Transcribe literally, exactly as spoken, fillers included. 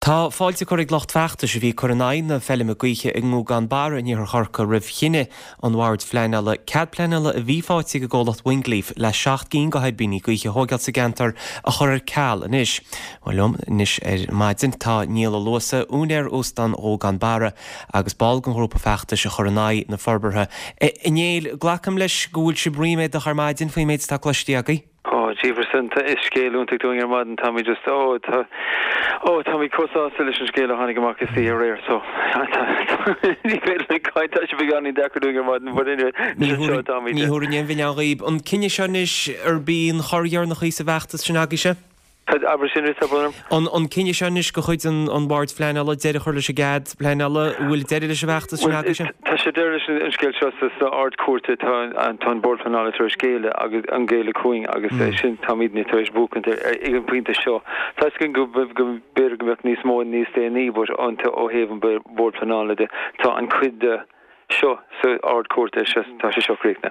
Tá fáilte curtha ag lucht feachtais a bhí ag cur in aghaidh na feilme gaoithe i nGúgán Barra in iarthar Chorcaí roimh chinneadh an Bhoird Phleanála cead pleanála a bhí faighte ag an gcomhlacht Wingleaf le seacht gcinn de thuirbíní gaoithe a thógáil sa gceantar a chur ar ceal anois. Bhuel liom anois ar maidin tá Niall Ó Luasa, úinéir Óstán Ghúgán Barra agus ball den ghrúpa feachtais a chur in aghaidh na forbartha. A Néill, glacaim leis go bhfuil sibh ríméadach ar maidin faoin méid atá cloiste agaibh? Ó, Jefferson, is scéal iontach dúinn ar maidin táimid just ó tá ó táimid chomh sásta leis an scéal a tháinig amach istoíche aréir so ní féidir caint tá sé beagáinín deacair dúinn ar maidin but anyway Ní seo táimid. Ní thabharfainn aon mhilleán dhaoib an cinneadh seo anois arb í an chor dheireanach í sa bhfeachtas sin agaibhse? Abair sin arís An an cinneadh seo anois de chuid an an Bhoird Phleanála deireadh a chur leis an gcead pleanála bhfuil deireadh leis an bhfeachtas sin agaibhse? Tá sé deireadh leis an scéal seo sa Ard-Chúirt tá tá an Bord Pleanála tar éis géilleadh agus an géilleadh chugainn agus sin táimidne tar éis buachan ag an bpointe seo. Tá go go b'fhéidir go mbeadh níos mó níos déanaí but ó thaobh an Bord Pleanála de tá an chuid de seo sa Ard-Chúirt tá sé seo críochnaithe.